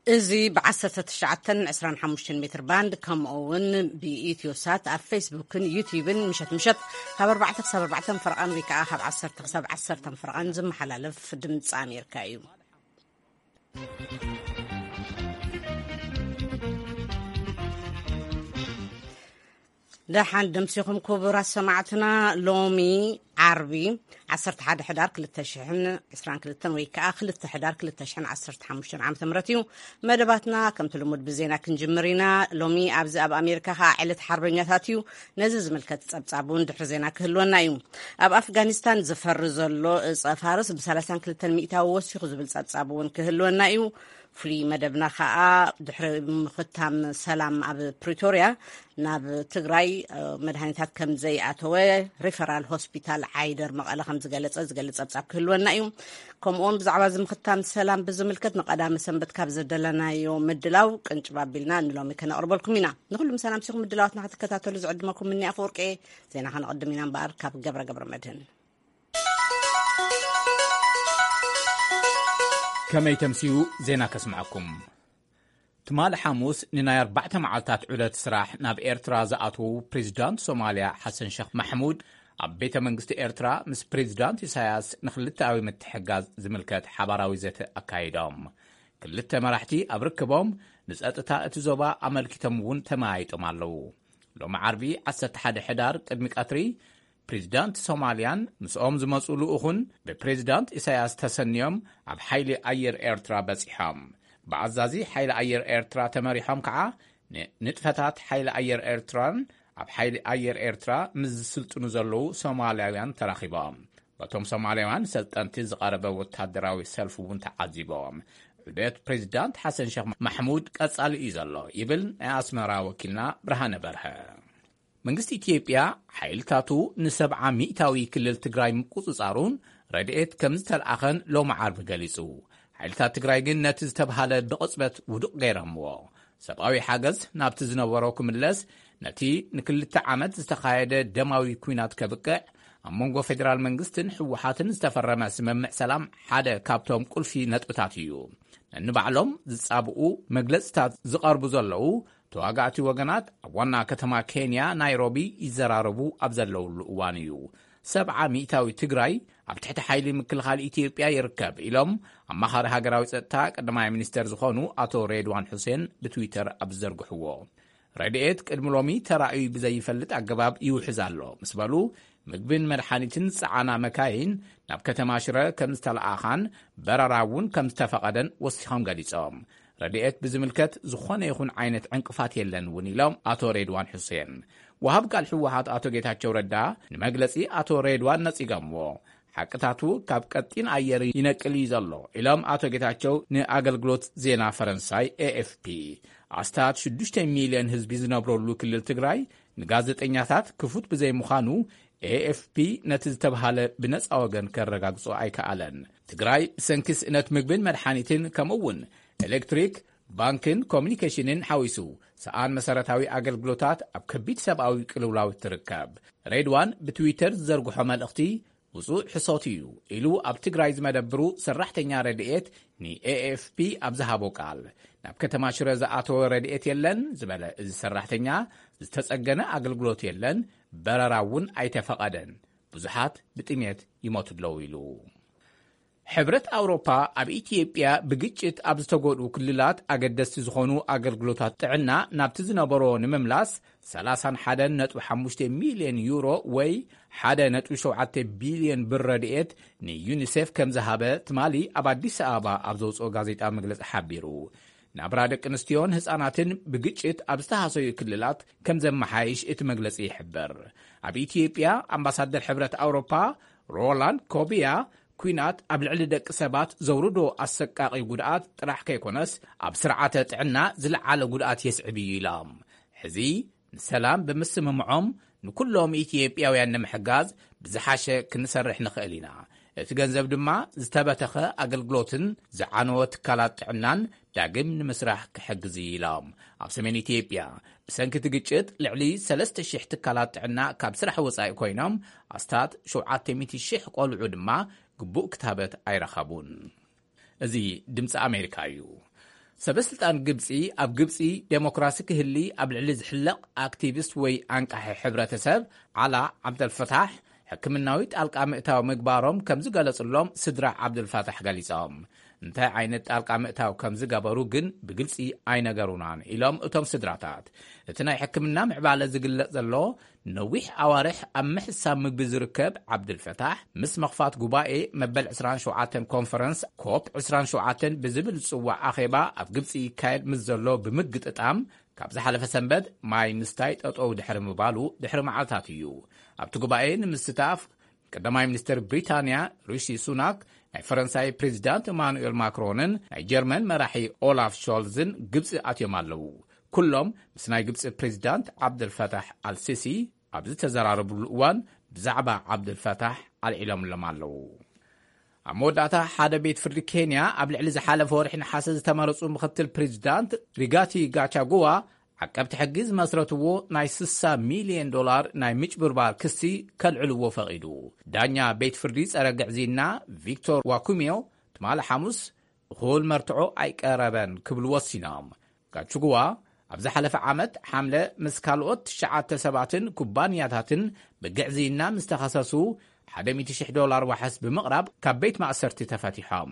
እዚ ብ19 25 ሜትር ባንድ፣ ከምኡ እውን ብኢትዮ ሳት ኣብ ፌስቡክን ዩቲዩብን ምሸት ምሸት ካብ ኣርባዕተ ክሳብ ኣርባዕተ ፈረቓን ወይ ከዓ ካብ ዓሰርተ ክሳብ ዓሰርተ ፈረቓን ዝመሓላለፍ ድምፂ ኣሜሪካ እዩ። ደሓን ደምሲኹም ክቡራት ሰማዕትና። ሎሚ ዓርቢ ዓሰርተ ሓደ ሕዳር ክልተ ሽሕን ዕስራን ክልተን ወይ ከዓ ክልተ ሕዳር ክልተ ሽሕን ዓሰርተ ሓሙሽተን ዓመተ ምህረት እዩ። መደባትና ከምቲ ልሙድ ብዜና ክንጅምር ኢና። ሎሚ ኣብዚ ኣብ ኣሜሪካ ከዓ ዕለት ሓርበኛታት እዩ። ነዚ ዝምልከት ጸብጻብ እውን ድሕሪ ዜና ክህልወና እዩ። ኣብ ኣፍጋኒስታን ዝፈሪ ዘሎ እጸ ፋርስ ብ ሰላሳን ክልተን ሚእታዊ ወሲኹ ዝብል ጸብጻብ እውን ክህልወና እዩ። ፍሉይ መደብና ከዓ ድሕሪ ምኽታም ሰላም ኣብ ፕሪቶርያ ናብ ትግራይ፣ እ፣ መድሃኒታት ከም ዘይኣተወ ሪፈራል ሆስፒታል ዓይደር መቐለ ከም ዝገለጸ ዝገልጽ ጸብጻብ ክህልወና እዩ። ከምኡውን ብዛዕባ እዚ ምኽታም ሰላም ብዝምልከት ንቐዳሚ ሰንበት ካብ ዘደለናዮ ምድላው ቅንጭብ ኣቢልና ንሎሚ ከነቕርበልኩም ኢና። ንኹሉም ሰላም ሲኹም ምድላዋትና ክትከታተሉ ዝዕድመኩም ምኒ ኣፈወርቂ። ዜና ከነቕድም ኢና እምበኣር ካብ ገብረ ገብረ መድህን። ከመይ ተምስዩ ዜና ከስምዐኩም። ትማሊ ሓሙስ ንናይ ኣርባዕተ መዓልታት ዑደት ስራሕ ናብ ኤርትራ ዝኣተዉ ፕሬዚዳንት ሶማልያ ሓሰን ሸኽ ማሕሙድ ኣብ ቤተ መንግስቲ ኤርትራ ምስ ፕሬዚዳንት ኢሳያስ ንክልተኣዊ ምትሕጋዝ ዝምልከት ሓባራዊ ዘተ ኣካይዶም። ክልተ መራሕቲ ኣብ ርክቦም ንጸጥታ እቲ ዞባ ኣመልኪቶም እውን ተመያይጦም ኣለዉ። ሎሚ ዓርቢ ዓሰርተ ሓደ ሕዳር ቅድሚ ቀትሪ ፕሬዚዳንት ሶማልያን ምስኦም ዝመጹ ልኡኹን ብፕሬዚዳንት ኢሳያስ ተሰንዮም ኣብ ሓይሊ ኣየር ኤርትራ በጺሖም። ብኣዛዚ ሓይሊ ኣየር ኤርትራ ተመሪሖም ከዓ ንንጥፈታት ሓይሊ ኣየር ኤርትራን ኣብ ሓይሊ ኣየር ኤርትራ ምስ ዝስልጥኑ ዘለዉ ሶማልያውያን ተራኺቦም። በቶም ሶማልያውያን ሰልጠንቲ ዝቐረበ ወታደራዊ ሰልፊ እውን ተዓዚቦም። ዑደት ፕሬዚዳንት ሓሰን ሸኽ ማሕሙድ ቀጻሊ እዩ ዘሎ ይብል ናይ ኣስመራ ወኪልና ብርሃነ በርሀ። መንግስቲ ኢትዮጵያ ሓይልታቱ ንሰብዓ ሚእታዊ ክልል ትግራይ ምቁጽጻሩን ረድኤት ከም ዝተልኣኸን ሎሚ ዓርቢ ገሊጹ። ሓይልታት ትግራይ ግን ነቲ ዝተብሃለ ብቕጽበት ውዱቕ ገይረምዎ። ሰብኣዊ ሓገዝ ናብቲ ዝነበሮ ክምለስ ነቲ ንክልተ ዓመት ዝተኻየደ ደማዊ ኲናት ከብቅዕ ኣብ መንጎ ፌደራል መንግስትን ህወሓትን ዝተፈረመ ስምምዕ ሰላም ሓደ ካብቶም ቁልፊ ነጥብታት እዩ። ነንባዕሎም ዝጻብኡ መግለጽታት ዝቐርቡ ዘለዉ ተዋጋእቲ ወገናት ኣብ ዋና ከተማ ኬንያ ናይሮቢ ይዘራረቡ ኣብ ዘለውሉ እዋን እዩ። ሰብዓ ሚእታዊ ትግራይ ኣብ ትሕቲ ሓይሊ ምክልኻል ኢትዮጵያ ይርከብ ኢሎም ኣማኻሪ ሃገራዊ ጸጥታ ቀዳማይ ሚኒስተር ዝኾኑ ኣቶ ሬድዋን ሑሴን ብትዊተር ኣብ ዝዘርግሕዎ። ረድኤት ቅድሚ ሎሚ ተራእዩ ብዘይፈልጥ ኣገባብ ይውሕዝ ኣሎ ምስ በሉ፣ ምግብን መድሓኒትን ዝጸዓና መካይን ናብ ከተማ ሽረ ከም ዝተለኣኻን በረራ እውን ከም ዝተፈቐደን ወሲኾም ገሊጾም። ረድኤት ብዝምልከት ዝኾነ ይኹን ዓይነት ዕንቅፋት የለን እውን ኢሎም ኣቶ ሬድዋን ሑሴን። ወሃብ ቃል ህወሓት ኣቶ ጌታቸው ረዳ ንመግለጺ ኣቶ ሬድዋን ነጺጎምዎ። ሓቅታቱ ካብ ቀጢን ኣየር ይነቅል እዩ ዘሎ ኢሎም ኣቶ ጌታቸው ንኣገልግሎት ዜና ፈረንሳይ ኤኤፍፒ። ኣስታት ሽዱሽተ ሚልዮን ህዝቢ ዝነብረሉ ክልል ትግራይ ንጋዜጠኛታት ክፉት ብዘይምዃኑ ኤኤፍፒ ነቲ ዝተብሃለ ብነጻ ወገን ከረጋግጾ ኣይከኣለን። ትግራይ ብሰንኪ ስእነት ምግብን መድሓኒትን ከምኡ እውን ኤሌክትሪክ፣ ባንክን ኮሚኒኬሽንን ሓዊሱ ሰኣን መሰረታዊ ኣገልግሎታት ኣብ ከቢድ ሰብኣዊ ቅልውላው ትርከብ። ሬድዋን ብትዊተር ዝዘርግሖ መልእኽቲ ውጹእ ሕሶት እዩ ኢሉ ኣብ ትግራይ ዝመደብሩ ሰራሕተኛ ረድኤት ንኤኤፍፒ ኣብ ዝሃቦ ቃል፣ ናብ ከተማ ሽረ ዝኣተወ ረድኤት የለን ዝበለ እዚ ሰራሕተኛ፣ ዝተጸገነ ኣገልግሎት የለን፣ በረራ እውን ኣይተፈቐደን፣ ብዙሓት ብጥሜት ይሞቱ ኣለዉ ኢሉ። ሕብረት ኣውሮፓ ኣብ ኢትዮጵያ ብግጭት ኣብ ዝተጎድኡ ክልላት ኣገደስቲ ዝኾኑ ኣገልግሎታት ጥዕና ናብቲ ዝነበሮ ንምምላስ ሰላሳን ሓደን ነጥቢ ሓሙሽተ ሚልዮን ዩሮ ወይ ሓደ ነጥቢ ሸውዓተ ቢልዮን ብር ረድኤት ንዩኒሴፍ ከም ዝሃበ ትማሊ ኣብ ኣዲስ ኣበባ ኣብ ዘውፅኦ ጋዜጣ መግለፂ ሓቢሩ። ናብራ ደቂ ኣንስትዮን ህፃናትን ብግጭት ኣብ ዝተሃሰዩ ክልላት ከም ዘመሓይሽ እቲ መግለፂ ይሕብር። ኣብ ኢትዮጵያ ኣምባሳደር ሕብረት ኣውሮፓ ሮላንድ ኮቢያ፣ ኲናት ኣብ ልዕሊ ደቂ ሰባት ዘውርዶ ኣሰቃቒ ጉድኣት ጥራሕ ከይኮነስ ኣብ ስርዓተ ጥዕና ዝለዓለ ጉድኣት የስዕብ እዩ ኢሎም። ሕዚ ንሰላም ብምስምምዖም ንኩሎም ኢትዮጵያውያን ንምሕጋዝ ብዝሓሸ ክንሰርሕ ንኽእል ኢና። እቲ ገንዘብ ድማ ዝተበተኸ ኣገልግሎትን ዝዓነወ ትካላት ጥዕናን ዳግም ንምስራሕ ክሕግዝ እዩ ኢሎም። ኣብ ሰሜን ኢትዮጵያ ብሰንኪ እቲ ግጭት ልዕሊ ሰለስተ ሽሕ ትካላት ጥዕና ካብ ስራሕ ወጻኢ ኮይኖም፣ ኣስታት ሸውዓተ ሚእቲ ሽሕ ቆልዑ ድማ ግቡእ ክታበት ኣይረኸቡን። እዚ ድምፂ ኣሜሪካ እዩ። ሰበስልጣን ግብጺ፣ ኣብ ግብጺ ዴሞክራሲ ክህሊ ኣብ ልዕሊ ዝሕለቕ ኣክቲቪስት ወይ ኣንቃሒ ሕብረተሰብ ዓላ ዓብደልፈታሕ ሕክምናዊ ጣልቃ ምእታው ምግባሮም ከም ዝገለጽሎም ስድራ ዓብዱልፋታሕ ገሊጾም። እንታይ ዓይነት ጣልቃ ምእታው ከም ዝገበሩ ግን ብግልጺ ኣይነገሩናን ኢሎም እቶም ስድራታት። እቲ ናይ ሕክምና ምዕባለ ዝግለጽ ዘሎ ነዊሕ ኣዋርሕ ኣብ ምሕሳብ ምግቢ ዝርከብ ዓብዱልፈታሕ፣ ምስ መኽፋት ጉባኤ መበል ዕስራን ሸውዓተን ኮንፈረንስ ኮፕ ዕስራን ሸውዓተን ብዝብል ዝጽዋዕ ኣኼባ ኣብ ግብጺ ይካየድ ምስ ዘሎ ብምግጥጣም፣ ካብ ዝሓለፈ ሰንበት ማይ ምስታይ ጠጠው ድሕሪ ምባሉ ድሕሪ መዓልታት እዩ። ኣብቲ ጉባኤ ንምስታፍ ቀዳማይ ሚኒስትር ብሪታንያ ሪሺ ሱናክ፣ ናይ ፈረንሳይ ፕሬዚዳንት ኢማኑኤል ማክሮንን ናይ ጀርመን መራሒ ኦላፍ ሾልዝን ግብጺ ኣትዮም ኣለዉ። ኩሎም ምስ ናይ ግብጺ ፕሬዚዳንት ዓብደልፈታሕ ኣልሲሲ ኣብ ዝተዘራረብሉ እዋን ብዛዕባ ዓብደልፈታሕ ኣልዒሎምሎም ኣለዉ። ኣብ መወዳእታ፣ ሓደ ቤት ፍርዲ ኬንያ ኣብ ልዕሊ ዝሓለፈ ወርሒ ነሓሰ ዝተመረጹ ምኽትል ፕሬዚዳንት ሪጋቲ ጋቻጉዋ ዓቀብቲ ሕጊ ዝመስረትዎ ናይ ስሳ ሚልዮን ዶላር ናይ ምጭብርባር ክሲ ከልዕልዎ ፈቒዱ። ዳኛ ቤት ፍርዲ ጸረ ግዕዝይና ቪክቶር ዋኩሚዮ ትማሊ ሓሙስ እኹል መርትዖ ኣይቀረበን ክብሉ ወሲኖም። ጋቹጉዋ ኣብ ዝሓለፈ ዓመት ሓምለ ምስ ካልኦት ትሽዓተ ሰባትን ኩባንያታትን ብግዕዝይና ምስ ተኸሰሱ ሓደ ሚእቲ ሽሕ ዶላር ዋሕስ ብምቕራብ ካብ ቤት ማእሰርቲ ተፈቲሖም።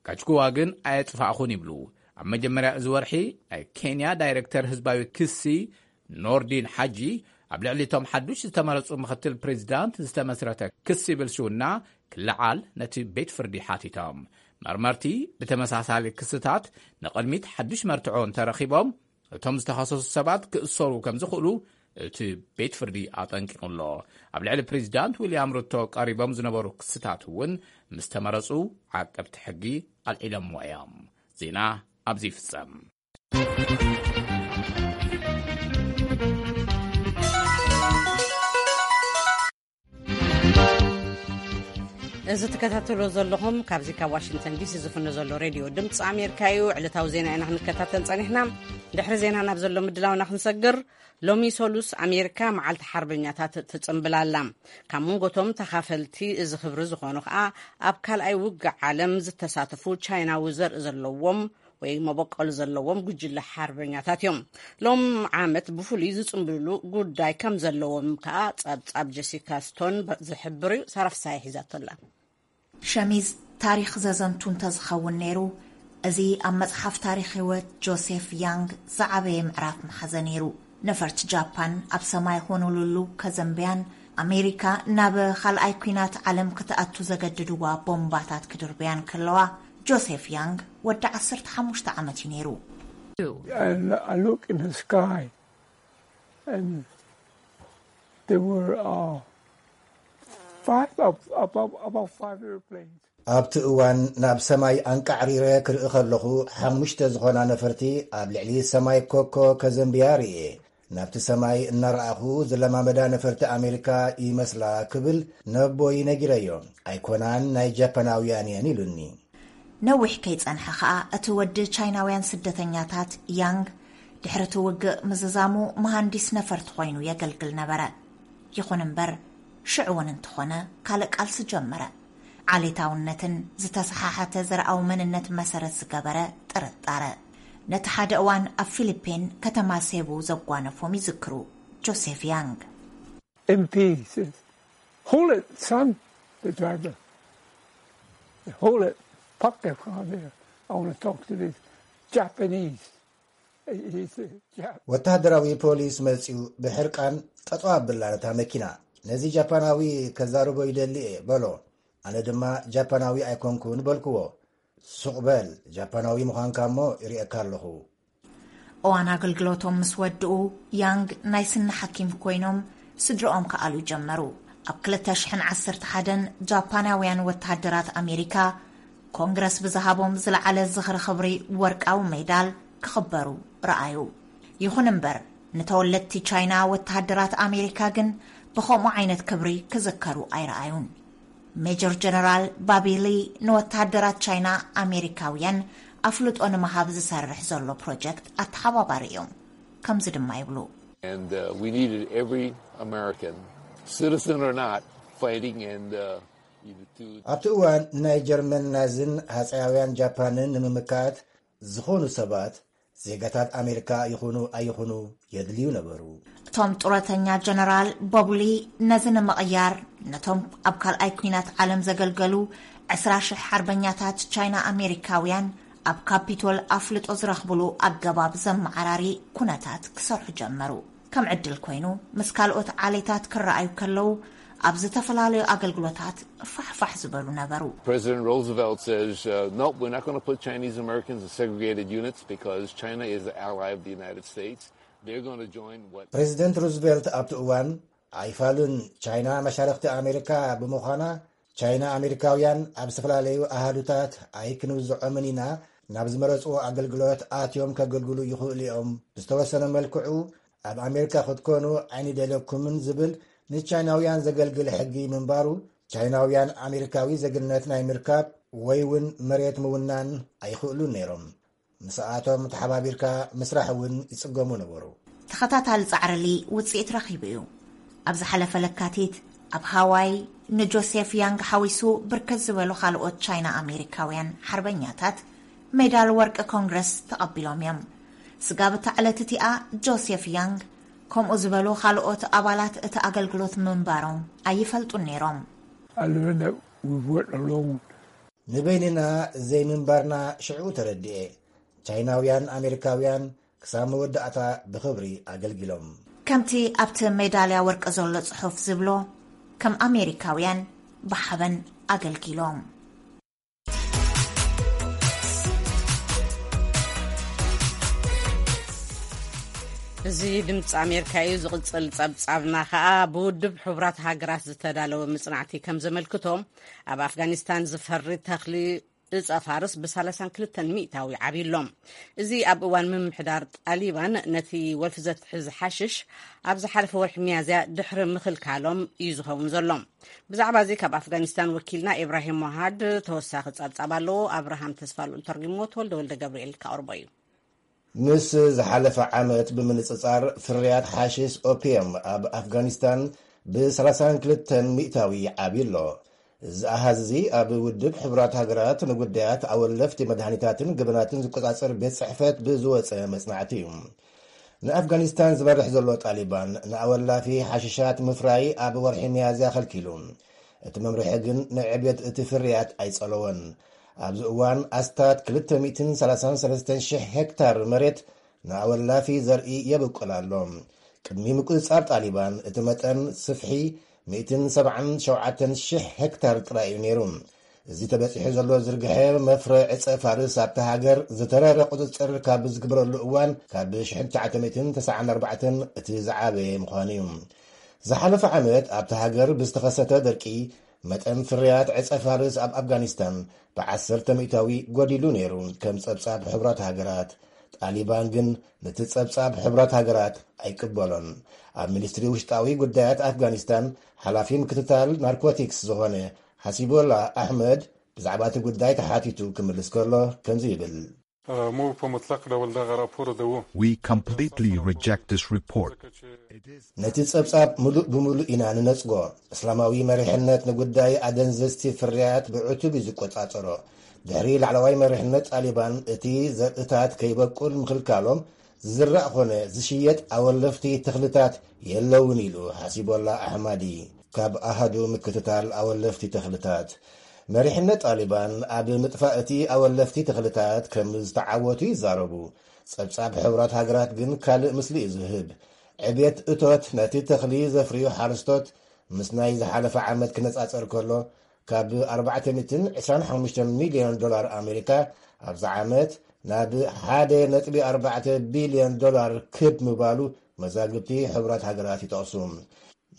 ጋቹጉዋ ግን ኣየጥፋእኹን ይብሉ። ኣብ መጀመርያ እዚ ወርሒ ናይ ኬንያ ዳይሬክተር ህዝባዊ ክሲ ኖርዲን ሓጂ ኣብ ልዕሊ እቶም ሓዱሽ ዝተመረጹ ምኽትል ፕሬዚዳንት ዝተመስረተ ክሲ ብልሽውና ክለዓል ነቲ ቤት ፍርዲ ሓቲቶም። መርመርቲ ብተመሳሳሊ ክስታት ንቕድሚት ሓዱሽ መርትዖ እንተረኺቦም፣ እቶም ዝተኸሰሱ ሰባት ክእሰሩ ከም ዝኽእሉ እቲ ቤት ፍርዲ ኣጠንቂቑ ኣሎ። ኣብ ልዕሊ ፕሬዚዳንት ዊልያም ሩቶ ቀሪቦም ዝነበሩ ክስታት እውን ምስ ተመረጹ ዓቀብቲ ሕጊ ኣልዒሎምዎ እዮም። ዜና ኣብዚ ይፍጸም። እዚ ትከታተሎ ዘለኹም ካብዚ ካብ ዋሽንግተን ዲሲ ዝፍኖ ዘሎ ሬድዮ ድምፂ ኣሜሪካ እዩ። ዕለታዊ ዜና ኢና ክንከታተል ጸኒሕና። ድሕሪ ዜና ናብ ዘሎ ምድላውና ክንሰግር፣ ሎሚ ሰሉስ ኣሜሪካ መዓልቲ ሓርበኛታት ትጽምብል ኣላ። ካብ መንጎቶም ተኻፈልቲ እዚ ክብሪ ዝኾኑ ከኣ ኣብ ካልኣይ ውግእ ዓለም ዝተሳተፉ ቻይናዊ ዘርኢ ዘለዎም ወይ መበቆል ዘለዎም ጉጅለ ሓርበኛታት እዮም። ሎም ዓመት ብፍሉይ ዝጽምብልሉ ጉዳይ ከም ዘለዎም ከኣ ጸብጻብ ጀሲካ ስቶን ዝሕብር እዩ። ሳራ ፍሳሐ ሒዛቶ ኣላ። ሸሚዝ ታሪኽ ዘዘንቱ እንተዝኸውን ነይሩ፣ እዚ ኣብ መጽሓፍ ታሪኽ ህይወት ጆሴፍ ያንግ ዝዓበየ ምዕራፍ ምሓዘ ነይሩ። ነፈርቲ ጃፓን ኣብ ሰማይ ሆኖሉሉ ከዘንብያን ኣሜሪካ ናብ ካልኣይ ኲናት ዓለም ክትኣቱ ዘገድድዋ ቦምባታት ክድርብያን ከለዋ፣ ጆሴፍ ያንግ ወዲ ዓሰርተ ሓሙሽተ ዓመት እዩ ነይሩ። And I look in the sky, and there were uh, five, ab- about, about five airplanes. ኣብቲ እዋን ናብ ሰማይ ኣንቃዕሪረ ክርኢ ከለኹ፣ ሓሙሽተ ዝኾና ነፈርቲ ኣብ ልዕሊ ሰማይ ኮኮ ከዘንብያ ርእየ። ናብቲ ሰማይ እናረኣኹ፣ ዝለማመዳ ነፈርቲ ኣሜሪካ ይመስላ ክብል ነቦይ ነጊረዮ። ኣይኮናን፣ ናይ ጃፓናውያን እየን ኢሉኒ። ነዊሕ ከይጸንሐ ከኣ፣ እቲ ወዲ ቻይናውያን ስደተኛታት ያንግ ድሕሪ እቲ ውግእ ምዝዛሙ መሃንዲስ ነፈርቲ ኮይኑ የገልግል ነበረ። ይኹን እምበር፣ ሽዑ እውን እንተኾነ ካልእ ቃልሲ ጀመረ። ዓሌታውነትን ዝተሰሓሓተ ዘርኣዊ መንነት መሰረት ዝገበረ ጥርጣረ። ነቲ ሓደ እዋን ኣብ ፊሊፒን ከተማ ሴቡ ዘጓነፎም ይዝክሩ ጆሴፍ ያንግ። M P says, "Hold it, son," the driver. "Hold it. Park your car there. I want to talk to this Japanese." He's a Jap. ወተሃደራዊ ፖሊስ መጺኡ ብሕርቃን ጠጠው ኣብላ ነታ መኪና። "ነዚ ጃፓናዊ ከዛርቦ ይደሊ እየ" በሎ። ኣነ ድማ "ጃፓናዊ ኣይኮንኩን" በልክዎ። "ሱቕ በል፣ ጃፓናዊ ምዃንካ እሞ ይርእየካ ኣለኹ።" እዋን ኣገልግሎቶም ምስ ወድኡ፣ ያንግ ናይ ስኒ ሓኪም ኮይኖም ስድርኦም ክኣልዩ ጀመሩ። ኣብ ክልተ ሽሕን ዓሰርተ ሓደን ጃፓናውያን ወተሃደራት ኣሜሪካ ኮንግረስ ብዝሃቦም ዝለዓለ ዝኽሪ ክብሪ ወርቃዊ ሜዳል ክኽበሩ ረኣዩ። ይኹን እምበር፣ ንተወለድቲ ቻይና ወተሃደራት ኣሜሪካ ግን ብኸምኡ ዓይነት ክብሪ ክዝከሩ ኣይረኣዩን። ሜጀር ጀነራል ባቢ ሊ ንወተሃደራት ቻይና ኣሜሪካውያን ኣፍልጦ ንምሃብ ዝሰርሕ ዘሎ ፕሮጀክት ኣተሓባባሪ እዮም። ከምዚ ድማ ይብሉ። And uh, we needed every American, citizen or not, fighting and uh, you know, to ኣብቲ እዋን ንናይ ጀርመን ናዝን ሃፀያውያን ጃፓንን ንምምካት ዝኾኑ ሰባት ዜጋታት ኣሜሪካ ይኹኑ ኣይኹኑ የድልዩ ነበሩ። እቶም ጡረተኛ ጀነራል ቦብሊ ነዚ ንምቕያር ነቶም ኣብ ካልኣይ ኲናት ዓለም ዘገልገሉ ዕስራ ሽሕ ሓርበኛታት ቻይና ኣሜሪካውያን ኣብ ካፒቶል ኣፍልጦ ዝረኽብሉ ኣገባብ ዘመዓራሪ ኩነታት ክሰርሑ ጀመሩ። ከም ዕድል ኮይኑ ምስ ካልኦት ዓሌታት ክረኣዩ ከለዉ ኣብ ዝተፈላለዩ ኣገልግሎታት ፋሕፋሕ ዝበሉ ነበሩ። President Roosevelt says, uh, nope, we're not going to put Chinese Americans in segregated units because China is the ally of the United States. They're going to join what ፕሬዚደንት ሩዝቬልት ኣብቲ እዋን ኣይፋሉን፣ ቻይና መሻርኽቲ ኣሜሪካ ብምዃና ቻይና ኣሜሪካውያን ኣብ ዝተፈላለዩ ኣሃዱታት ኣይክንውዝዖምን ኢና፣ ናብ ዝመረፅዎ ኣገልግሎት ኣትዮም ከገልግሉ ይኽእሉ እዮም። ብዝተወሰነ መልክዑ ኣብ ኣሜሪካ ክትኮኑ ኣይንደለኩምን ዝብል ንቻይናውያን ዘገልግል ሕጊ ምንባሩ ቻይናውያን ኣሜሪካዊ ዜግነት ናይ ምርካብ ወይ እውን መሬት ምውናን ኣይኽእሉን ነይሮም። ምስኣቶም ተሓባቢርካ ምስራሕ እውን ይጽገሙ ነበሩ። ተኸታታሊ ጻዕርሊ ውጽኢት ረኺቡ እዩ። ኣብ ዝሓለፈ ለካቲት ኣብ ሃዋይ ንጆሴፍ ያንግ ሓዊሱ ብርክት ዝበሉ ካልኦት ቻይና ኣሜሪካውያን ሓርበኛታት ሜዳል ወርቂ ኮንግረስ ተቐቢሎም እዮም። ስጋብ እታ ዕለት እቲኣ ጆሴፍ ያንግ ከምኡ ዝበሉ ካልኦት ኣባላት እቲ ኣገልግሎት ምንባሮም ኣይፈልጡን ነይሮም። I learned that we weren't alone. ንበይንና ዘይምንባርና ሽዑ ተረድኤ። ቻይናውያን ኣሜሪካውያን ክሳብ መወዳእታ ብኽብሪ ኣገልጊሎም። ከምቲ ኣብቲ ሜዳልያ ወርቂ ዘሎ ጽሑፍ ዝብሎ፣ ከም ኣሜሪካውያን ብሓበን ኣገልጊሎም። እዚ ድምፂ ኣሜሪካ እዩ። ዝቕፅል ፀብፃብና ከዓ ብውድብ ሕቡራት ሃገራት ዝተዳለወ ምፅናዕቲ ከም ዘመልክቶ፣ ኣብ ኣፍጋኒስታን ዝፈሪ ተኽሊ እፀ ፋርስ ብ ሰላሳን ክልተን ሚእታዊ ዓብዩ ኣሎ። እዚ ኣብ እዋን ምምሕዳር ጣሊባን ነቲ ወልፊ ዘትሕዝ ሓሽሽ ኣብ ዝሓለፈ ወርሒ ሚያዝያ ድሕሪ ምኽልካሎም እዩ ዝኸውን ዘሎ። ብዛዕባ እዚ ካብ ኣፍጋኒስታን ወኪልና ኢብራሂም ሞሃድ ተወሳኺ ጸብጻብ ኣለዎ። ኣብርሃም ተስፋልኡል ተርጉምዎ፣ ተወልደ ወልደ ገብርኤል ከቕርቦ እዩ። ምስ ዝሓለፈ ዓመት ብምንጽጻር፣ ፍርያት ሓሽሽ ኦፒየም ኣብ ኣፍጋኒስታን ብ ሰላሳን ክልተን ሚእታዊ ዓብዩ ኣሎ። እዚ ኣሃዝ እዚ ኣብ ውድብ ሕቡራት ሃገራት ንጉዳያት ኣወለፍቲ መድሃኒታትን ገበናትን ዝቆጻጸር ቤት ጽሕፈት ብዝወጸ መጽናዕቲ እዩ። ንኣፍጋኒስታን ዝመርሕ ዘሎ ጣሊባን ንኣወላፊ ሓሽሻት ምፍራይ ኣብ ወርሒ ሚያዝያ ከልኪሉ። እቲ መምርሒ ግን ንዕብየት እቲ ፍርያት ኣይጸለዎን። ኣብዚ እዋን ኣስታት ክልተ ሚእትን ሰላሳን ሰለስተን ሽሕ ሄክታር መሬት ንኣወላፊ ዘርኢ የብቁል ኣሎ። ቅድሚ ምቁጽጻር ጣሊባን እቲ መጠን ስፍሒ ሚእትን ሰብዓን ሸውዓተን ሽሕ ሄክታር ጥራይ እዩ ነይሩ። እዚ ተበጺሑ ዘሎ ዝርግሐ መፍረ ዕጸ ፋርስ ኣብታ ሃገር ዝተረረ ቁጽጽር ካብ ዝግበረሉ እዋን ካብ ሽሕን ትሽዓተ ሚእትን ተስዓን ኣርባዕተን እቲ ዝዓበየ ምዃኑ እዩ። ዝሓለፈ ዓመት ኣብታ ሃገር ብዝተኸሰተ ደርቂ መጠን ፍርያት ዕጸ ፋርስ ኣብ ኣፍጋኒስታን ብዓሰርተ ሚእታዊ ጎዲሉ ነይሩ፣ ከም ጸብጻብ ሕቡራት ሃገራት። ጣሊባን ግን ነቲ ጸብጻብ ሕቡራት ሃገራት ኣይቅበሎን። ኣብ ሚኒስትሪ ውሽጣዊ ጉዳያት ኣፍጋኒስታን ሓላፊ ምክትታል ናርኮቲክስ ዝኾነ ሓሲቦላ ኣሕመድ ብዛዕባ እቲ ጉዳይ ተሓቲቱ ክምልስ ከሎ ከምዚ ይብል። Mu په مطلق ډول دغه راپور د و. We completely reject this report. ነቲ ጸብጻብ ምሉእ ብምሉእ ኢና ንነጽጎ። እስላማዊ መሪሕነት ንጉዳይ ኣደንዘዝቲ ፍርያት ብዕቱብ እዩ ዝቆጻጸሮ። ድሕሪ ላዕለዋይ መሪሕነት ጣሊባን እቲ ዘርእታት ከይበቁል ምኽልካሎም፣ ዝዝራእ ኾነ ዝሽየጥ ኣወለፍቲ ተኽልታት የለውን ኢሉ ሓሲቦላ ኣሕማዲ ካብ ኣሃዱ ምክትታል ኣወለፍቲ ተኽልታት። መሪሕነት ጣሊባን ኣብ ምጥፋእ እቲ ኣወለፍቲ ተኽልታት ከም ዝተዓወቱ ይዛረቡ። ጸብጻብ ሕቡራት ሃገራት ግን ካልእ ምስሊ እዩ ዝህብ። ዕብየት እቶት ነቲ ተኽሊ ዘፍርዩ ሓረስቶት ምስ ናይ ዝሓለፈ ዓመት ክነጻጸር ከሎ፣ ካብ ኣርባዕተ ሚእትን ዕስራን ሓሙሽተን ሚልዮን ዶላር ኣሜሪካ ኣብዚ ዓመት ናብ ሓደ ነጥቢ ኣርባዕተ ቢልዮን ዶላር ክብ ምባሉ መዛግብቲ ሕቡራት ሃገራት ይጠቕሱ።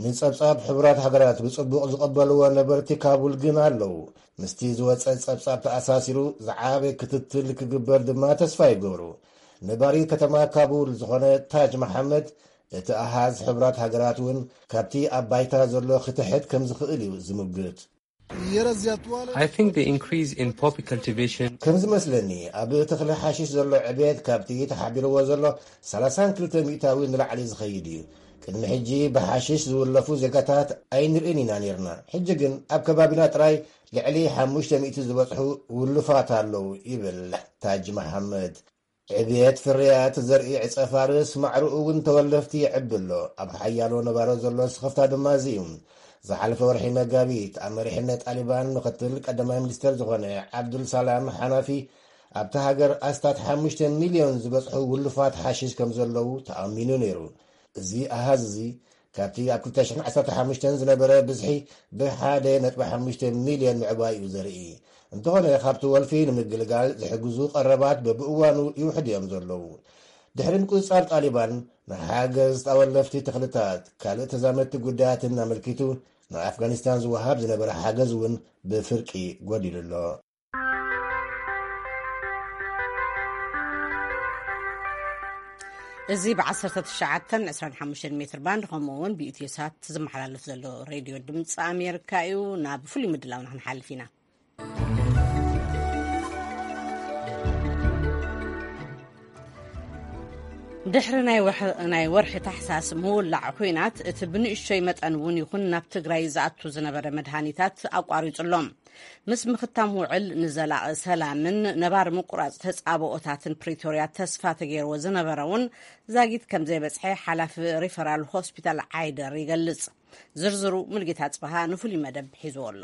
ንጸብጻብ ሕቡራት ሃገራት ብጽቡቕ ዝቐበልዎ ነበርቲ ካቡል ግን ኣለዉ። ምስቲ ዝወጸ ጸብጻብ ተኣሳሲሩ ዝዓበ ክትትል ክግበር ድማ ተስፋ ይገብሩ። ነባሪ ከተማ ካቡል ዝኾነ ታጅ መሓመድ፣ እቲ ኣሃዝ ሕቡራት ሃገራት እውን ካብቲ ኣብ ባይታ ዘሎ ክትሕት ከም ዝኽእል እዩ ዝምግት። I think the increase in poppy cultivation. ከም ዝመስለኒ፣ ኣብ ተኽሊ ሓሽሽ ዘሎ ዕብየት ካብቲ ተሓቢርዎ ዘሎ ሰላሳን ክልተ ሚእታዊ ንላዕሊ ዝኸይድ እዩ። ቅድሚ ሕጂ ብሓሽሽ ዝውለፉ ዜጋታት ኣይንርእን ኢና ነይርና። ሕጂ ግን ኣብ ከባቢና ጥራይ ልዕሊ ሓሙሽተ ሚእቲ ዝበጽሑ ውሉፋት ኣለዉ ይብል ታጅ መሓመድ። ዕብየት ፍርያት ዘርኢ ዕጸ ፋርስ ማዕርኡ እውን ተወለፍቲ ይዕቢ ኣሎ። ኣብ ሓያሎ ነባሮ ዘሎ ስኽፍታ ድማ እዚ እዩ። ዝሓለፈ ወርሒ መጋቢት ኣብ መሪሕነት ጣሊባን ምኽትል ቀዳማይ ሚኒስተር ዝኾነ ዓብዱል ሰላም ሓናፊ ኣብታ ሃገር ኣስታት ሓሙሽተ ሚልዮን ዝበጽሑ ውሉፋት ሓሽሽ ከም ዘለዉ ተኣሚኑ ነይሩ። እዚ ኣሃዝ እዚ ካብቲ ኣብ ክልተ ሽሕን ዓሰርተ ሓሙሽተን ዝነበረ ብዝሒ ብ ሓደ ነጥቢ ሓሙሽተ ሚልዮን ምዕባይ እዩ ዘርኢ። እንተኾነ ካብቲ ወልፊ ንምግልጋል ዝሕግዙ ቀረባት በብእዋኑ ይውሕዱ እዮም ዘለዉ። ድሕሪ ምቁጽጻር ጣሊባን ንሓገዝ ጣወለፍቲ ተኽልታት ካልእ ተዛመድቲ ጉዳያትን ኣመልኪቱ ንኣፍጋኒስታን ዝወሃብ ዝነበረ ሓገዝ እውን ብፍርቂ ጎዲሉ ኣሎ። እዚ ብ19 25 ሜትር ባንድ ከምኡ እውን ብኢትዮሳት ዝመሓላለፍ ዘሎ ሬድዮ ድምፂ ኣሜሪካ እዩ። ናብ ፍሉይ ምድላውና ክንሓልፍ ኢና። ድሕሪ ናይ ወርሒ ታሕሳስ ምውላዕ ኲናት እቲ ብንእሽቶይ መጠን እውን ይኹን ናብ ትግራይ ዝኣቱ ዝነበረ መድሃኒታት ኣቋሪጹ ኣሎ። ምስ ምኽታም ውዕል ንዘላቒ ሰላምን ነባር ምቁራጽ ተጻብኦታትን ፕሪቶርያ ተስፋ ተገይርዎ ዝነበረ እውን ዛጊት ከም ዘይበጽሐ ሓላፊ ሪፈራል ሆስፒታል ዓይደር ይገልጽ። ዝርዝሩ ሙልጌታ ጽበሃ ንፍሉይ መደብ ሒዝዎ ኣሎ።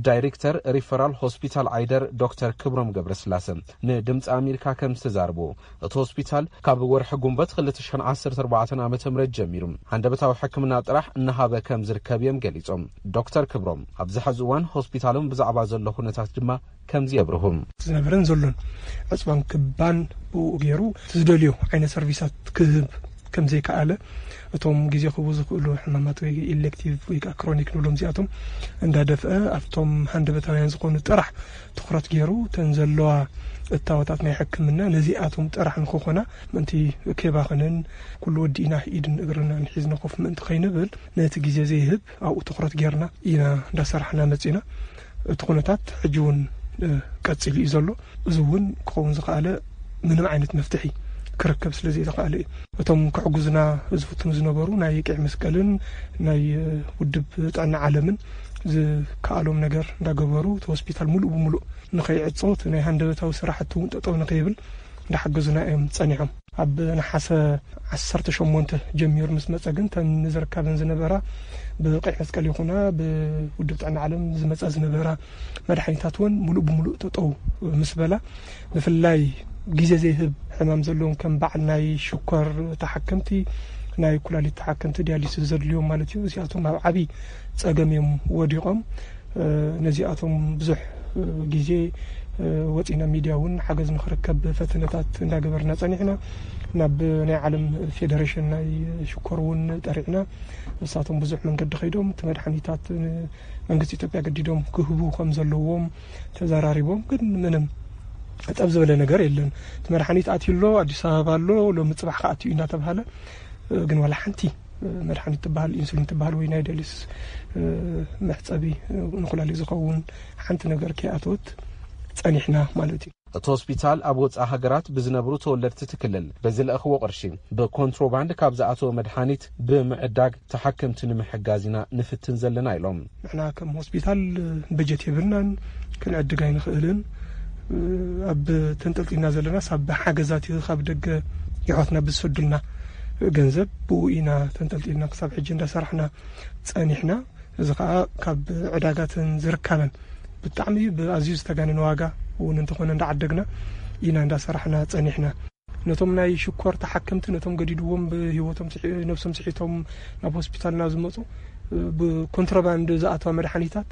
ዳይሬክተር ሪፈራል ሆስፒታል ዓይደር ዶክተር ክብሮም ገብረስላሰ ንድምፂ ኣሜሪካ ከም ዝተዛርቦ፣ እቲ ሆስፒታል ካብ ወርሒ ጉንበት ክልተ ሽሕን ዓሰርተ ኣርባዕተን ዓመተ ምህረት ጀሚሩ ሃንደበታዊ ሕክምና ጥራሕ እናሃበ ከም ዝርከብ እዮም ገሊጾም። ዶክተር ክብሮም ኣብዚ ሕዚ እዋን ሆስፒታሎም ብዛዕባ ዘሎ ኩነታት ድማ ከምዚ የብርሁ። ዝነበረን ዘሎን ዕፅባን ክባን ብኡ ገይሩ ዝደልዮ ዓይነት ሰርቪሳት ክህብ ከም ዘይከኣለ፣ እቶም ግዜ ክህቡ ዝኽእሉ ሕማማት ወይ ኢሌክቲቭ ወይ ከዓ ክሮኒክ ንብሎም እዚኣቶም እንዳደፍአ ኣብቶም ሃንደበታውያን ዝኾኑ ጥራሕ ትኹረት ገይሩ እተን ዘለዋ እታወታት ናይ ሕክምና ነዚኣቶም ጥራሕ ንክኾና ምእንቲ ከይባኽንን ኩሉ ወዲእና ኢድን እግርናን ሒዝና ኮፍ ምእንቲ ከይንብል ነቲ ግዜ ዘይህብ ኣብኡ ትኹረት ጌርና ኢና እንዳሰራሕና መፂና። እቲ ኩነታት ሕጂ እውን ቀፂሉ እዩ ዘሎ። እዚ እውን ክኸውን ዝኸኣለ ምንም ዓይነት መፍትሒ ክርከብ ስለ ዘይተኸኣለ እዩ። እቶም ክሕግዙና ዝፍትኑ ዝነበሩ ናይ ቀይ መስቀልን ናይ ውድብ ጥዕና ዓለምን ዝከኣሎም ነገር እንዳገበሩ እቲ ሆስፒታል ሙሉእ ብሙሉእ ንኸይዕጾ እቲ ናይ ሃንደበታዊ ስራሕቲ እውን ጠጠው ንኸይብል እንዳሓገዙና እዮም ጸኒሖም። ኣብ ነሓሰ ዓሰርተ ሸሞንተ ጀሚሩ ምስ መጸ ግን ተን ንዝርካበን ዝነበራ ብቀይ መስቀል ይኹና ብውድብ ጥዕና ዓለም ዝመጻ ዝነበራ መድሓኒታት እውን ሙሉእ ብሙሉእ ጠጠው ምስ በላ፣ ብፍላይ ግዜ ዘይህብ ሕማም ዘለዎም ከም በዓል ናይ ሽኮር ተሓከምቲ፣ ናይ ኩላሊት ተሓከምቲ፣ ዲያሊሲስ ዘድልዮም ማለት እዩ። እዚኣቶም ኣብ ዓብዪ ጸገም እዮም ወዲቖም። ነዚኣቶም ብዙሕ ግዜ ወፂና ሚድያ እውን ሓገዝ ንክርከብ ፈተነታት እንዳገበርና ፀኒሕና። ናብ ናይ ዓለም ፌደሬሽን ናይ ሽኮር እውን ጠሪዕና። ንሳቶም ብዙሕ መንገዲ ከይዶም እቲ መድሓኒታት መንግስቲ ኢትዮጵያ ገዲዶም ክህቡ ከም ዘለዎም ተዘራሪቦም፣ ግን ምንም ጠብ ዝበለ ነገር የለን። እቲ መድሓኒት ኣትዩ ኣሎ፣ ኣዲስ ኣበባ ኣሎ፣ ሎሚ ፅባሕ ከኣትዩ እናተባሃለ ግን ዋላ ሓንቲ መድሓኒት ትበሃል ኢንሱሊን ትበሃል ወይ ናይ ዲያሊሲስ መሕፀቢ ንኩላሊት ዝኸውን ሓንቲ ነገር ከይኣተወት ፀኒሕና ማለት እዩ። እቲ ሆስፒታል ኣብ ወፃኢ ሃገራት ብዝነብሩ ተወለድቲ እቲ ክልል ብዝለእኽዎ ቅርሺ ብኮንትሮባንድ ካብ ዝኣተወ መድሓኒት ብምዕዳግ ተሓከምቲ ንምሕጋዝ ኢና ንፍትን ዘለና ኢሎም። ንሕና ከም ሆስፒታል በጀት የብልናን፣ ክንዕድግ ኣይንኽእልን። ኣብ ተንጠልጢልና ዘለናስ ኣብ ሓገዛት ካብ ደገ የሕዋትና ብዝሰዱልና ገንዘብ ብኡ ኢና ተንጠልጢልና ክሳብ ሕጂ እንዳሰራሕና ፀኒሕና። እዚ ከዓ ካብ ዕዳጋትን ዝርካበን ብጣዕሚ ብኣዝዩ ዝተጋነነ ዋጋ እውን እንተኾነ እንዳዓደግና ኢና እንዳሰራሕና ፀኒሕና። ነቶም ናይ ሽኮር ተሓከምቲ ነቶም ገዲድዎም ብህይወቶም ስሒ- ነብሶም ስሒቶም ናብ ሆስፒታልና ዝመፁ ብኮንትሮባንድ ዝኣተዋ መድሓኒታት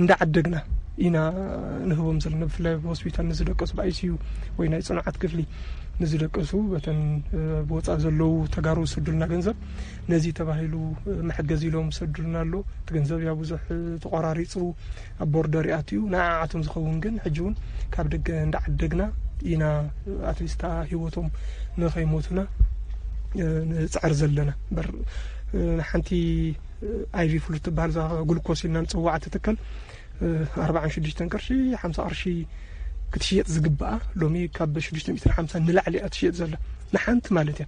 እንዳዓደግና ኢና ንህቦም ዘለና። ብፍላይ ኣብ ሆስፒታል ንዝደቀሱ ብኣይሲዩ ወይ ናይ ፅኑዓት ክፍሊ ንዝደቀሱ በተን ብወፃእ ዘለዉ ተጋሩ ዝሰዱልና ገንዘብ ነዚ ተባሂሉ መሐገዚ ኢሎም ዝሰዱልና ኣሎ። እቲ ገንዘብ ያ ብዙሕ ተቆራሪፁ ኣብ ቦርደር ይኣትዩ። ንዓዓቶም ዝኸውን ግን ሕጂ እውን ካብ ደገ እንዳዓደግና ኢና ኣትሊስታ ህይወቶም ንኸይሞቱና ንፅዕር ዘለና። በር ሓንቲ ኣይቪ ፍሉት ትበሃል እዛ ግሉኮስ ኢልና ንፅዋዓ ትትከል ኣርባዓን ሽዱሽተን ቅርሺ ሓምሳ ቅርሺ ክትሽየጥ ዝግባኣ ሎሚ ካብ ሽዱሽተ ሚእትን ሓምሳን ንላዕሊ እያ ትሽየጥ ዘላ፣ ንሓንቲ ማለት እያ።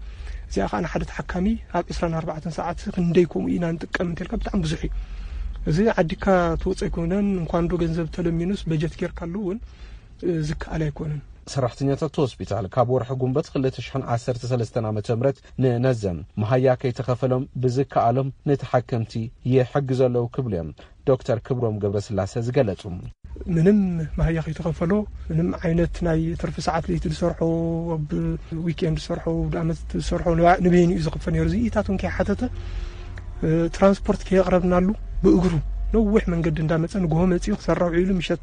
እዚኣ ከዓ ንሓደ ተሓካሚ ኣብ ዕስራን ኣርባዕተን ሰዓት ክንደይ ከምኡ ኢና ንጥቀም እንተልካ ብጣዕሚ ብዙሕ እዩ። እዚ ዓዲካ ትወፅእ ኣይኮነን። እንኳን ዶ ገንዘብ ተለሚኑስ በጀት ጌርካሉ እውን ዝከኣል ኣይኮነን። ሰራሕተኛታት ሆስፒታል ካብ ወርሒ ጉንበት ክልተ ሽሕን ዓሰርተ ሰለስተን ዓመተ ምህረት ንነዘም መሃያ ከይተኸፈሎም ብዝከኣሎም ንተሓከምቲ ይሕግዙ ኣለዉ ክብሉ እዮም ዶክተር ክብሮም ገብረስላሰ ዝገለጹ። ምንም መሃያ ከይተኸፈሎ፣ ምንም ዓይነት ናይ ትርፊ ሰዓት ለይቲ ዝሰርሖ፣ ኣብ ዊኬንድ ዝሰርሖ፣ ኣብ ዓመት ዝሰርሖ ንበይኑ እዩ ዝኽፈል ነይሩ። እዚ ኢታት እውን ከይሓተተ ትራንስፖርት ከየቕረብናሉ ብእግሩ ነዊሕ መንገዲ እንዳመፀ ንግሆ መፂኡ ክሰርሕ ውዒሉ ምሸት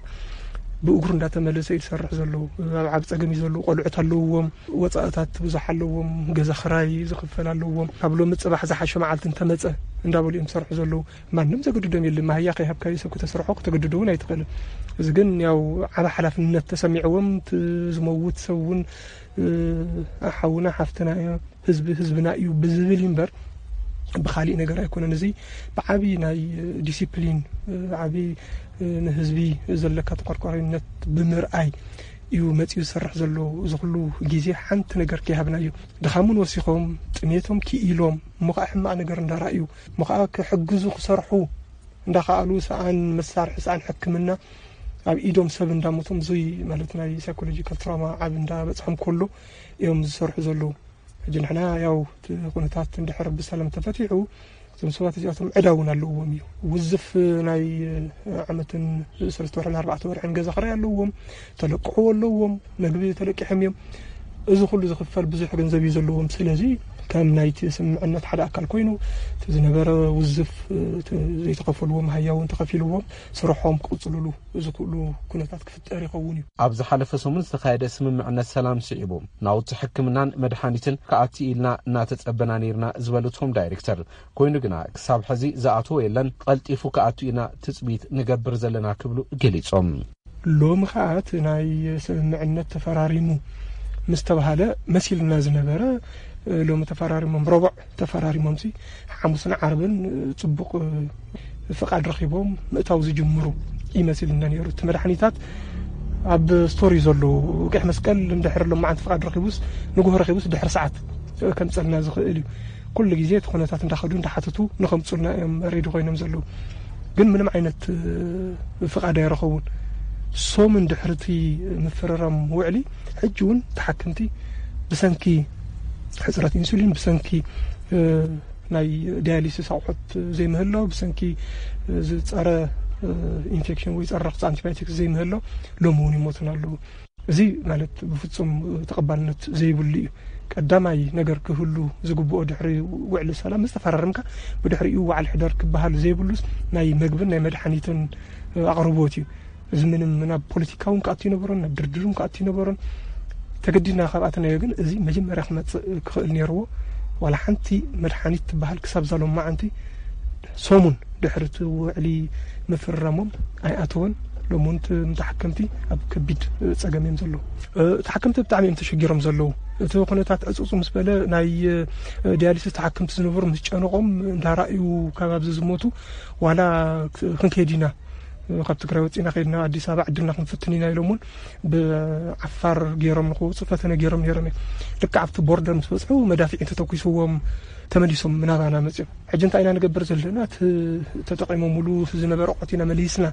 ብእግሩ እንዳተመለሰ እዩ ዝሰርሕ ዘሎ። ኣብ ዓብ ፀገም እዩ ዘሎ። ቆልዑት ኣለውዎም፣ ወፃእታት ብዙሕ ኣለዎም። ገዛ ክራይ ዝኽፈል ኣለዎም። ካብ ሎሚ ፅባሕ ዝሓሸ መዓልቲ እንተመፀ እንዳበሉ እዮም ዝሰርሑ ዘለዉ። ማንም ዘገድዶም የለን። ማህያ ከይሃብካዮ ሰብ ክተስርሖ ክተገድዶ እውን ኣይትኽእልን። እዚ ግን ያው ዓብ ሓላፍነት ተሰሚዕዎም ዝመውት ሰብ እውን ሓውና ሓፍትና ህዝቢ ህዝብና እዩ ብዝብል እዩ እምበር ብኻሊእ ነገር ኣይኮነን። እዚ ብዓብዪ ናይ ዲሲፕሊን፣ ብዓብዪ ንህዝቢ ዘለካ ተቆርቋሪነት ብምርኣይ እዩ መፂኡ ዝሰርሕ ዘሎ። እዚ ኩሉ ግዜ ሓንቲ ነገር ከይሃብና እዩ። ድኻሙን ወሲኾም ጥሜቶም ክኢሎም እሞ ከዓ ሕማቕ ነገር እንዳረኣዩ እሞ ከዓ ክሕግዙ ክሰርሑ እንዳኸኣሉ ሰኣን መሳርሒ ሰኣን ሕክምና ኣብ ኢዶም ሰብ እንዳሞቶም እዙይ ማለት ናይ ሳይኮሎጂካል ትራውማ ዓብ እንዳበፅሖም ከሎ እዮም ዝሰርሑ ዘለዉ። ሕጂ ንሕና ያው እቲ ኩነታት እንድሕር ብሰላም ተፈቲሑ እዞም ሰባት እዚኣቶም ዕዳ እውን ኣለዎም እዩ። ውዝፍ ናይ ዓመትን ሰለስተ ወርሕን ኣርባዕተ ወርሕን ገዛ ክራይ ኣለዎም፣ ተለቅሕዎ ኣለዎም፣ መግቢ ተለቂሖም እዮም። እዚ ኩሉ ዝኽፈል ብዙሕ ገንዘብ እዩ ዘለዎም። ስለዚ ከም ናይቲ ስምምዕነት ሓደ ኣካል ኮይኑ እቲ ዝነበረ ውዝፍ ዘይተኸፈልዎም ሃያ እውን ተኸፊልዎም ስርሖም ክቕፅልሉ ዝኽእሉ ኩነታት ክፍጠር ይኸውን እዩ። ኣብ ዝሓለፈ ሰሙን ዝተኻየደ ስምምዕነት ሰላም ስዒቡ ናውቲ ሕክምናን መድሓኒትን ክኣቲ ኢልና እናተጸበና ነይርና ዝበሉ እቶም ዳይሬክተር፣ ኮይኑ ግና ክሳብ ሕዚ ዝኣተወ የለን፣ ቀልጢፉ ክኣቱ ኢና ትጽቢት ንገብር ዘለና ክብሉ ገሊጾም። ሎሚ ከዓ እቲ ናይ ስምምዕነት ተፈራሪሙ ምስ ተባሃለ መሲልና ዝነበረ ሎሚ ተፈራሪሞም ረቡዕ ተፈራሪሞም ሲ ሓሙስን ዓርብን ጽቡቕ ፍቓድ ረኺቦም ምእታው ዝጅምሩ ይመስልና ነይሩ። እቲ መድሓኒታት ኣብ ስቶር እዩ ዘሎ። ቀይሕ መስቀል እንድሕር ሎም መዓንቲ ፍቓድ ረኺቡስ ንግሆ ረኺቡስ ድሕሪ ሰዓት ከምፀልና ዝኽእል እዩ። ኩሉ ግዜ እቲ ኩነታት እንዳኸዱ እንዳሓተቱ ንኸምፁልና እዮም ሬዲ ኮይኖም ዘለዉ። ግን ምንም ዓይነት ፍቓድ ኣይረኸቡን። ሶምን ድሕርቲ ምፍርራም ውዕሊ ሕጂ እውን ተሓክምቲ ብሰንኪ ሕፅረት ኢንሱሊን ብሰንኪ ናይ ዳያሊሲስ ኣቑሑት ዘይምህላው ብሰንኪ ዝፀረ ኢንፌክሽን ወይ ፀረ ረኽሲ ኣንቲባዮቲክስ ዘይምህላው ሎሚ እውን ይሞቱን ኣለዉ። እዚ ማለት ብፍፁም ተቐባልነት ዘይብሉ እዩ። ቀዳማይ ነገር ክህሉ ዝግብኦ ድሕሪ ውዕሊ ሰላም ዝተፈራረምካ ብድሕሪኡ ዋዕል ሕደር ክበሃል ዘይብሉስ ናይ መግብን ናይ መድሓኒትን ኣቕርቦት እዩ። እዚ ምንም ናብ ፖለቲካ እውን ክኣቱ ይነበሮን ናብ ድርድር እውን ክኣቱ ይነበሮን። ተገዲድና ካብ ኣተናዮ ግን እዚ መጀመርያ ክመፅእ ክኽእል ነይርዎ። ዋላ ሓንቲ መድሓኒት ትበሃል ክሳብ ዛሎም መዓንቲ ሰሙን ድሕሪ እቲ ውዕሊ ምፍርራሞም ኣይኣተወን። ሎሚ እውን እቲ ተሓከምቲ ኣብ ከቢድ ፀገም እዮም ዘለዉ። ተሓከምቲ ብጣዕሚ እዮም ተሸጊሮም ዘለዉ። እቲ ኩነታት ዕፁፁ ምስ በለ ናይ ዲያሊሲስ ተሓከምቲ ዝነበሩ ምስ ጨነቆም እንዳረኣዩ ካብ ኣብዚ ዝሞቱ ዋላ ክንከይድ ኢና ካብ ትግራይ ወፂና ከይድና ኣዲስ ኣበባ ዕድልና ክንፍትን ኢና ኢሎም እውን ብዓፋር ገይሮም ንክወፁ ፈተነ ገይሮም ነይሮም እዮም። ልክዕ ኣብቲ ቦርደር ምስ በፅሑ መዳፍዒ ተተኩስዎም ተመሊሶም ናባና መፅኦም። ሕጂ እንታይ ኢና ንገብር ዘለና? እቲ ተጠቂሞምሉ ዝነበረ ኣቑሑት ኢና መሊስና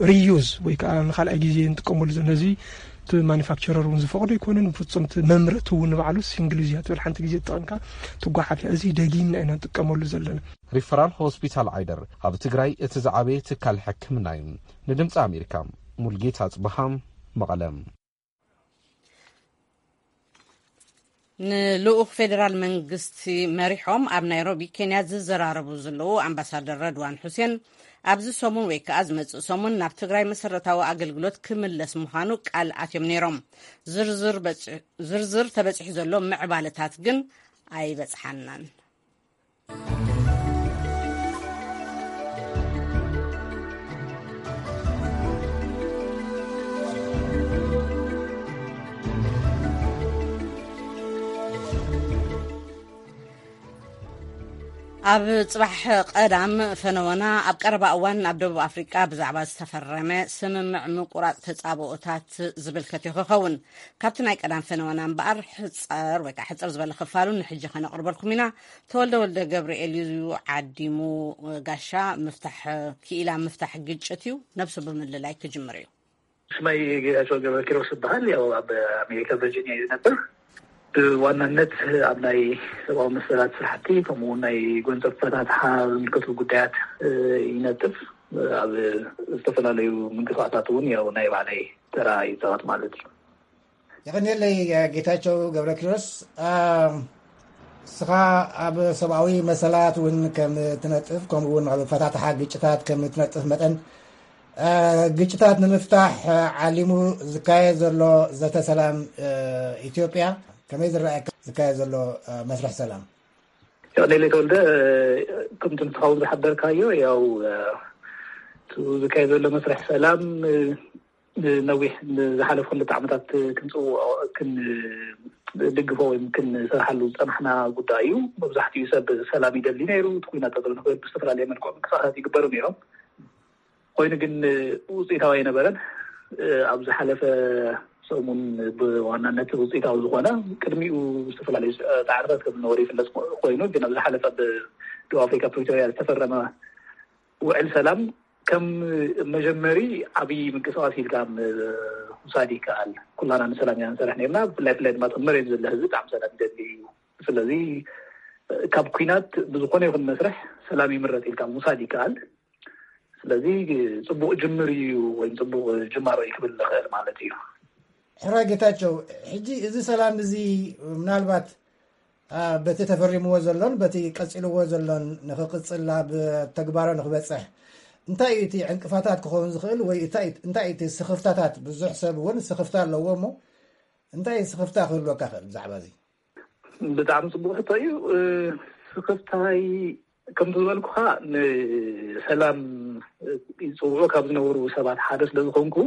ሪዩዝ ወይ ከዓ ንካልኣይ ግዜ ንጥቀመሉ ዘለና። እዚ እቲ ማኒፋክቸረር እውን ዝፈቕዶ ኣይኮነን። ብፍፁም እቲ መምረቲ እውን ንባዕሉ ሲንግል ዩዝ እያ ትብል፣ ሓንቲ ግዜ ተጠቐምካ ትጓሓፍ እያ። እዚ ደጊምና ኢና ንጥቀመሉ ዘለና። ሪፈራል ሆስፒታል ዓይደር ኣብ ትግራይ እቲ ዝዓበየ ትካል ሕክምና እዩ። ንድምፂ ኣሜሪካ ሙልጌታ ኣፅበሃ መቐለ። ንልኡኽ ፌደራል መንግስቲ መሪሖም ኣብ ናይሮቢ ኬንያ ዝዘራረቡ ዘለዉ ኣምባሳደር ረድዋን ሑሴን ኣብዚ ሰሙን ወይ ከዓ ዝመፅእ ሰሙን ናብ ትግራይ መሰረታዊ ኣገልግሎት ክምለስ ምዃኑ ቃል ኣትዮም ነይሮም። ዝርዝር በፂ- ዝርዝር ተበፂሑ ዘሎ ምዕባለታት ግን ኣይበፅሓናን። ኣብ ጽባሕ ቀዳም ፈነወና ኣብ ቀረባ እዋን ኣብ ደቡብ ኣፍሪቃ ብዛዕባ ዝተፈረመ ስምምዕ ምቁራጽ ተጻብኦታት ዝምልከት እዩ ክኸውን። ካብቲ ናይ ቀዳም ፈነወና እምበኣር ሕጸር ወይ ከዓ ሕጽር ዝበለ ክፋሉ ንሕጂ ከነቕርበልኩም ኢና። ተወልደ ወልደ ገብርኤል እዩ ዓዲሙ። ጋሻ ምፍታሕ ክኢላ ምፍታሕ ግጭት እዩ፣ ነብሱ ብምልላይ ክጅምር እዩ። ሽመይ ጌታቸው ገብረ ኪሮስ ይበሃል። ያው ኣብ ኣሜሪካ ቨርጂኒያ እዩ ዝነብር። ብዋናነት ኣብ ናይ ሰብኣዊ መሰላት ስራሕቲ ከምኡ እውን ናይ ጎንፀ ፈታትሓ ዝምልከቱ ጉዳያት ይነጥፍ። ኣብ ዝተፈላለዩ ምንቅስቃሳት እውን ያው ናይ ባዕለይ ተራ ይፃወት ማለት እዩ። የቐንየለይ ጌታቸው ገብረ ኪሮስ። እስኻ ኣብ ሰብኣዊ መሰላት እውን ከም ትነጥፍ ከምኡ እውን ኣብ ፈታትሓ ግጭታት ከም ትነጥፍ መጠን ግጭታት ንምፍታሕ ዓሊሙ ዝካየድ ዘሎ ዘተ ሰላም ኢትዮጵያ ከመይ ዝረኣየካ ዝካየድ ዘሎ መስርሕ ሰላም? ዮኔሌ ተወልደ፣ ከምቲ ንስኻውን ዝሓበርካዮ ያው ዝካየድ ዘሎ መስርሕ ሰላም ነዊሕ ዝሓለፉ ክልተ ዓመታት ክንፅውዖ ክንድግፎ ወይ ክንሰርሓሉ ዝፀናሕና ጉዳይ እዩ። መብዛሕትኡ ሰብ ሰላም ይደሊ ነይሩ። እቲ ኩናት ጠጠው ንክብል ብዝተፈላለየ መልክዑ ምንቅስቃሳት ይግበሩ ነይሮም። ኮይኑ ግን ውፅኢታዊ ኣይነበረን። ኣብ ዝሓለፈ ሰሙን ብዋናነት ውፅኢታዊ ዝኾነ ቅድሚኡ ዝተፈላለዩ ፃዕርታት ከም ዝነበሩ ይፍለጥ ኮይኑ ግን ኣብ ዝሓለፈ ብደቡብ ኣፍሪካ ፕሪቶሪያ ዝተፈረመ ውዕል ሰላም ከም መጀመሪ ዓብዪ ምንቅስቃስ ኢልካ ምውሳድ ይከኣል። ኩላና ንሰላም ኢና ንሰርሕ ነርና። ብፍላይ ብፍላይ ድማ መሬት ዘሎ ህዝቢ ብጣዕሚ ሰላም ይደሊ እዩ። ስለዚ ካብ ኩናት ብዝኾነ ይኹን መስርሕ ሰላም ይምረፅ ኢልካ ምውሳድ ይከኣል። ስለዚ ፅቡቅ ጅምር እዩ ወይም ፅቡቅ ጅማሮ እዩ ክብል ንኽእል ማለት እዩ። ሕራይ ጌታቸው፣ ሕጂ እዚ ሰላም እዚ ምናልባት በቲ ተፈሪምዎ ዘሎን በቲ ቀፂልዎ ዘሎን ንክቅፅል ናብ ተግባሮ ንክበፅሕ እንታይ እዩ እቲ ዕንቅፋታት ክኸውን ዝኽእል ወይ እንታይ እዩ እቲ ስኽፍታታት? ብዙሕ ሰብ እውን ስኽፍታ ኣለዎ እሞ እንታይ ስኽፍታ ክህልወካ ክእል ብዛዕባ እዚ? ብጣዕሚ ፅቡቅ ሕቶ እዩ። ስኽፍታይ ከምቲ ዝበልኩኻ ንሰላም ይፅውዑ ካብ ዝነበሩ ሰባት ሓደ ስለዝኾንኩ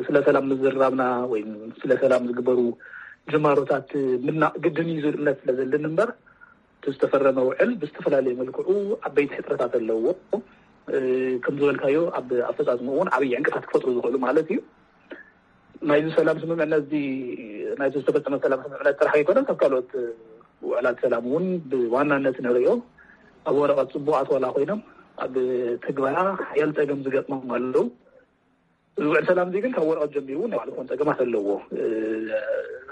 ስለ ሰላም ምዝርራብና ወይ ስለ ሰላም ዝግበሩ ጅማሮታት ምድናቕ ግድን እዩ ዝብል እምነት ስለ ዘለኒ እምበር እቲ ዝተፈረመ ውዕል ብዝተፈላለየ መልክዑ ዓበይቲ ሕፅረታት ኣለዎ። ከም ዝበልካዮ ኣብ ኣፈፃፅምኡ እውን ዓብዪ ዕንቅፋት ክፈጥሩ ዝኽእሉ ማለት እዩ። ናይዚ ሰላም ስምምዕነት እዚ ናይዚ ዝተፈፀመ ሰላም ስምምዕነት ጥራሕ ኣይኮነን፣ ካብ ካልኦት ውዕላት ሰላም እውን ብዋናነት ንሪኦ ኣብ ወረቐት ፅቡቓት ዋላ ኮይኖም ኣብ ትግበራ ሓያል ፀገም ዝገጥሞም ኣለዉ። እዚ ውዕል ሰላም እዚ ግን ካብ ወረቐት ጀሚሩ ናይ ባዕሉ ክኾን ፀገማት ኣለዎ።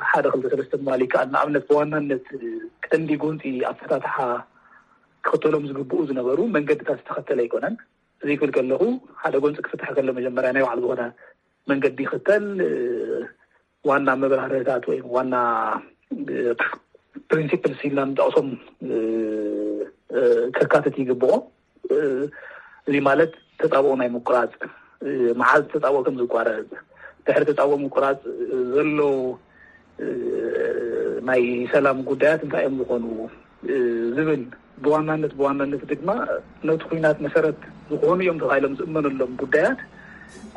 ሓደ ክልተ ሰለስተ ምባል ይከኣል። ንኣብነት ብዋናነት ቀንዲ ጎንፂ ኣፈታትሓ ክኽተሎም ዝግብኡ ዝነበሩ መንገድታት ዝተኸተለ ኣይኮነን። እዚ ክብል ከለኹ ሓደ ጎንፂ ክፍታሕ ከሎ መጀመርያ ናይ ባዕሉ ዝኾነ መንገዲ ይኽተል። ዋና መብራህርህታት ወይ ዋና ፕሪንሲፕልስ ኢልና ንጠቕሶም ከካትት ይግብኦ። እዚ ማለት ተፃብኦ ናይ ምቁራፅ፣ መዓዝ ተፃብኦ ከም ዝቋረፅ፣ ድሕሪ ተፃብኦ ምቁራፅ ዘሎ ናይ ሰላም ጉዳያት እንታይ እዮም ዝኾኑ ዝብል ብዋናነት ብዋናነት ድማ ነቲ ኩናት መሰረት ዝኾኑ እዮም ተባሂሎም ዝእመነሎም ጉዳያት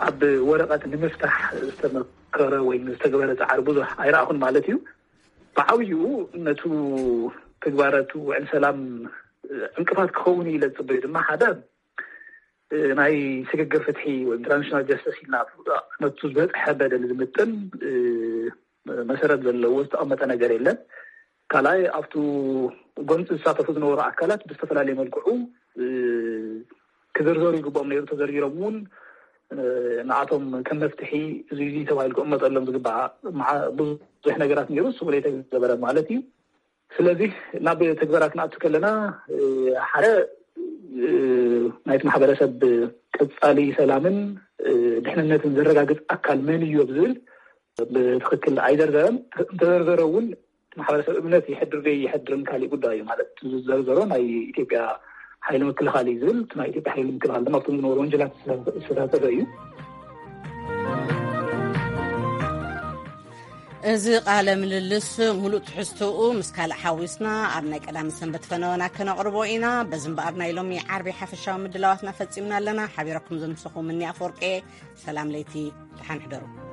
ኣብ ወረቐት ንምፍታሕ ዝተመከረ ወይ ዝተግበረ ፃዕሪ ብዙሕ ኣይረኣኹን ማለት እዩ። ብዓብይኡ ነቱ ትግባረቱ ውዕል ሰላም ዕንቅፋት ክኸውን ኢለ ዝፅበዩ ድማ ሓደ ናይ ስግግር ፍትሒ ወይ ትራንዚሽናል ጀስተስ ኢልና ነቱ ዝበፅሐ በደል ዝምጥን መሰረት ዘለዎ ዝተቐመጠ ነገር የለን። ካልኣይ ኣብቱ ጎንፂ ዝሳተፉ ዝነበሩ ኣካላት ብዝተፈላለየ መልክዑ ክዝርዘሩ ይግብኦም ነይሩ። ተዘርዚሮም እውን ንኣቶም ከም መፍትሒ እዚ እዚ ተባሂሉ ክቕመጠሎም ዝግባእ ብዙሕ ነገራት ነይሩ። እሱ እውን የተገበረ ማለት እዩ። ስለዚ ናብ ትግበራ ክንኣቱ ከለና ሓደ ናይቲ ማሕበረሰብ ቀፃሊ ሰላምን ድሕንነትን ዘረጋግፅ ኣካል መን እዩ ኣብ ዝብል ብትኽክል ኣይዘርዘረን። እንተዘርዘረ እውን ማሕበረሰብ እምነት ይሕድር ደይ ይሕድርን ካሊእ ጉዳይ እዩ። ማለት ዝዘርዘሮ ናይ ኢትዮጵያ ሓይሊ ምክልኻል እዩ ዝብል፣ እቲ ናይ ኢትዮጵያ ሓይሊ ምክልኻል ድማ ኣብቶም ዝነበሩ ወንጀላት ዝተሳተፈ እዩ። እዚ ቃለ ምልልስ ሙሉእ ትሕዝቶኡ ምስ ካልእ ሓዊስና ኣብ ናይ ቀዳሚ ሰንበት ፈነወና ከነቕርቦ ኢና። በዚ እምበኣር ናይ ሎሚ ዓርቢ ሓፈሻዊ ምድላዋትና ፈጺምና ኣለና። ሓቢረኩም ዘምሰኹ ምኒ ኣፈወርቂ። ሰላም ለይቲ፣ ደሓን ሕደሩ።